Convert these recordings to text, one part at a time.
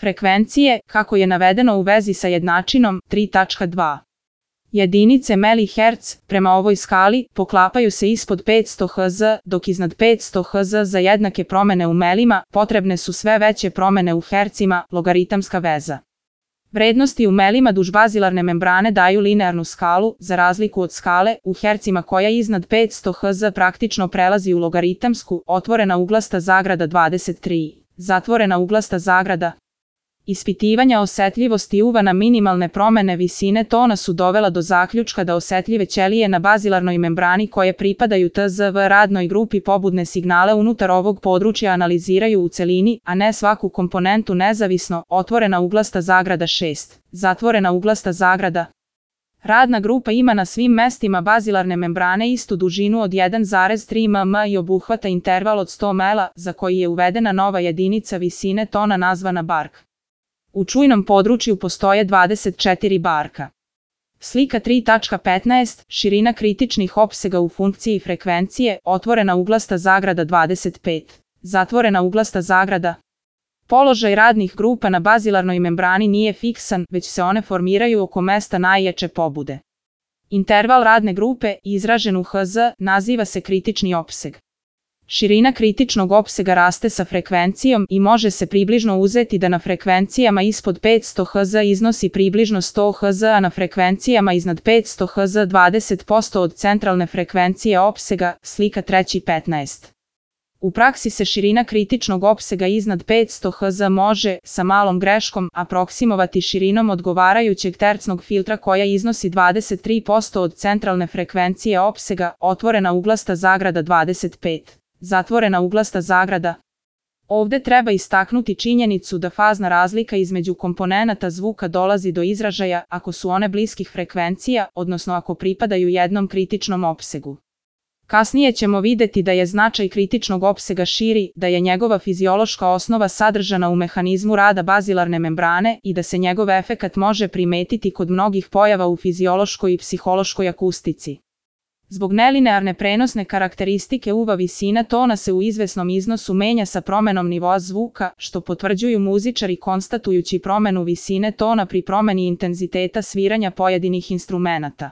Frekvencije, kako je navedeno u vezi sa jednačinom 3.2. Jedinice mH prema ovoj skali poklapaju se ispod 500 Hz, dok iznad 500 Hz za jednake promene u melima potrebne su sve veće promene u hercima, logaritamska veza. Vrednosti u melima duž bazilarne membrane daju linearnu skalu, za razliku od skale u hercima koja iznad 500 Hz praktično prelazi u logaritamsku, otvorena uglasta zagrada 23, zatvorena uglasta zagrada. Ispitivanja osetljivosti UV na minimalne promene visine tona su dovela do zaključka da osetljive ćelije na bazilarnoj membrani koje pripadaju TZV radnoj grupi pobudne signale unutar ovog područja analiziraju u celini, a ne svaku komponentu nezavisno, otvorena uglasta zagrada 6, zatvorena uglasta zagrada. Radna grupa ima na svim mestima bazilarne membrane istu dužinu od 1,3 mm i obuhvata interval od 100 ml, za koji je uvedena nova jedinica visine tona nazvana bark. U čujnom području postoje 24 barka. Slika 3.15. Širina kritičnih opsega u funkciji frekvencije, otvorena uglasta zagrada 25, zatvorena uglasta zagrada. Položaj radnih grupa na bazilarnoj membrani nije fiksan, već se one formiraju oko mesta najjače pobude. Interval radne grupe, izražen u Hz, naziva se kritični opseg. Širina kritičnog opsega raste sa frekvencijom i može se približno uzeti da na frekvencijama ispod 500 Hz iznosi približno 100 Hz, a na frekvencijama iznad 500 Hz 20% od centralne frekvencije opsega, slika 3.15. U praksi se širina kritičnog opsega iznad 500 Hz može, sa malom greškom, aproksimovati širinom odgovarajućeg tercnog filtra koja iznosi 23% od centralne frekvencije opsega, otvorena uglasta zagrada 25. Zatvorena uglasta zagrada. Ovde treba istaknuti činjenicu da fazna razlika između komponenata zvuka dolazi do izražaja ako su one bliskih frekvencija, odnosno ako pripadaju jednom kritičnom opsegu. Kasnije ćemo videti da je značaj kritičnog opsega širi, da je njegova fiziološka osnova sadržana u mehanizmu rada bazilarne membrane i da se njegov efekat može primetiti kod mnogih pojava u fiziološkoj i psihološkoj akustici. Zbog nelinearne prenosne karakteristike UV visina tona se u izvesnom iznosu menja sa promenom nivoa zvuka, što potvrđuju muzičari konstatujući promenu visine tona pri promeni intenziteta sviranja pojedinih instrumenata.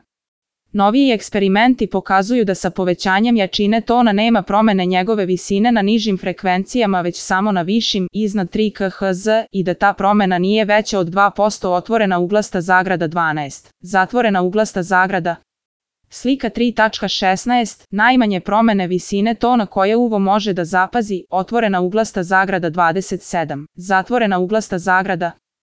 Noviji eksperimenti pokazuju da sa povećanjem jačine tona nema promene njegove visine na nižim frekvencijama već samo na višim, iznad 3 kHz, i da ta promena nije veća od 2%, otvorena uglasta zagrada 12, zatvorena uglasta zagrada. Slika 3.16. Najmanje promene visine tona koje uvo može da zapazi, otvorena uglasta zagrada 27, zatvorena uglasta zagrada.